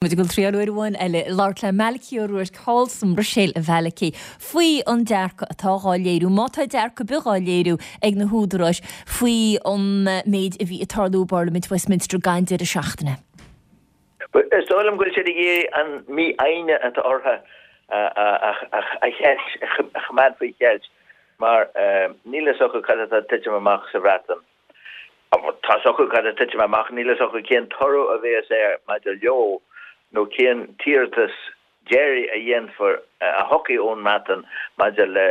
Muid ag dul triáil uair amháin eile labhairt le Malachy Ó Ruairc thall sa mBruiséil a Mhalachy faoi an dearcadh atá dhá léiriú, má tá dearcadh ar bith dhá léiriú ag na húdaráis faoi an méid a bhí ag tarlú i bParlaimint Westminster ag an deireadh seachtaine. Is dóigh liom go bhfuil siad ag iarraidh an mífhoighne atá orthu a cheilt, a choimeád faoi cheilt mar níl fhios acu cad atá ag titim amach sa Bhreatain. Tá fhios acu cad atá ag titim amach, níl fhios acu cén toradh a bhéas air maidir leo nó cén t-iarratas deiridh a dhéanfar, a thiocfaidh ón mBreatain maidir le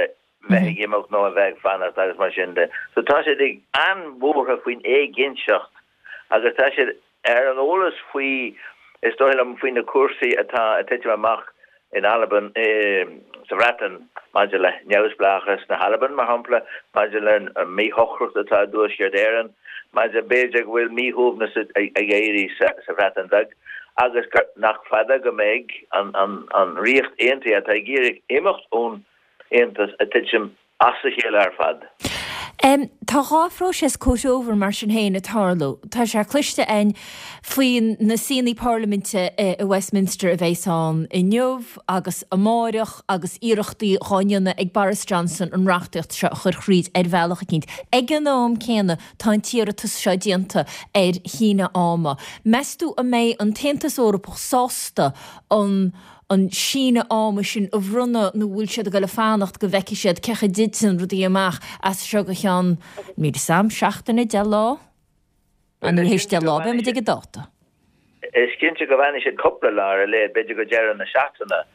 bheith ag imeacht nó a bheith ag fanacht agus mar sin de. So tá siad ag an-bhuartha faoin éiginnteacht agus tá siad ar an eolas faoi, is dóigh liom, faoi na cúrsaí atá ag titim amach in Albain, sa Bhreatain maidir le neamhspleáchas na hAlban, mar shampla, maidir le an míshocracht atá i dTuaisceart Éireann, maidir, b'fhéidir go bhfuil míshuaimhneas ag éirí sa Bhreatain Bheag agus gur, nach fada go mbeidh an Ríocht Aontaithe, atá ag iarraidh imeacht ón Aontas, ag titim as a chéile ar fad. Tá dhá phróiseas comhthreomhar mar sin féin ag tarlú. Tá sé cloiste againn faoi na suíonna parlaiminte i Westminster a bheas ann inniu agus amáireach agus iarrachtaí dhá ndéanamh ag Boris Johnson an reachtaíocht seo a chur thríd ar bhealach eicínt. Ag an am céanna tá an t-iarratas seo déanta ar shíneadh ama. Meas tú an mbeidh an tAontas Eorpach sásta an an síneadh ama sin a bhronnadh nó bhfuil siad ag dul a fanacht go bhfeicfidh siad cén chaoi a dtiteann rudaí amach as seo go ceann, níl 'fhios a'm, seachtaine, 10 lá? Nó théis 10 lá, beidh muid ag an dáta. Is cinnte go bhfanfaidh siad cúpla lá ar a laghad, b'fhéidir go deireadh na seachtaine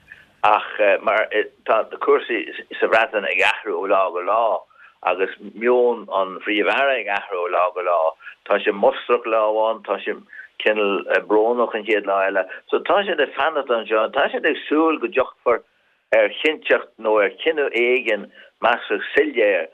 ach mar tá cúrsaí sa Bhreatain ag athrú ó lá go lá agus meon an Phríomh-Aire ag athrú ó lá go lá. Tá sé mustrach lá amháin, tá sé cineál brónach an chéad lá eile. So tá siad ag fanacht anseo, tá siad ag súil go dtiocfar ar chinnteacht nó ar chinneadh éigin measartha soiléir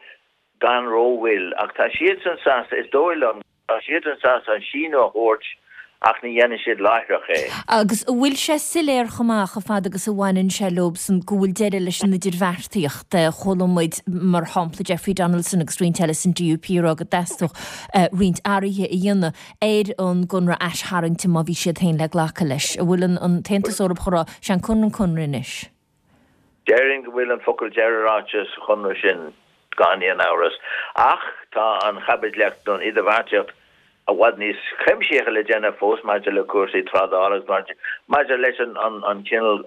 gan rómhoill. Ach tá siadsan sásta, is dóigh liom, tá siadsan sásta an síneadh a thabhairt ach ní dhéanfaidh siad láithreach é. Agus an bhfuil sé soiléir chomh maith, chomh fada agus a bhaineann sé leobsan, go bhfuil deireadh leis an idirbheartaíocht? Chuala muid, mar shampla, Jeffrey Donaldson agus roinnt eile san DUP ag rá go dteastódh roinnt athruithe a dhéanamh ar an gconradh aistharraingte má bhí siad féin le glacadh leis. An bhfuil an tAontas Eorpach ag rá, sé an conradh an conradh anois? Déarfainn go bhfuil an focal deiridh ráite sa chonradh sin gan aon amhras. Ach tá an chaibidlíocht nó an idirbheartaíocht i bhfad níos cuimsithí le déanamh fós maidir le cúrsaí trádála agus maidir leis an chineál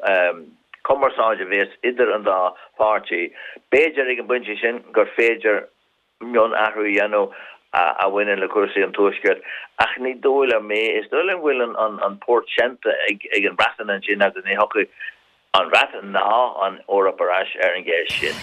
cumarsáide a bhéas idir an dá pháirtí. B'fhéidir ag an bpointe sin gur féidir mionathrú a dhéanamh a bhaineann le cúrsaí an Tuaiscirt, ach ní dóigh liom é. Is dóigh liom go bhfuil an port seinnte ag an Bhreatain ansin agus ní thiocfaidh an Bhreatain ná an Eoraip ar ais ar an gceist sin.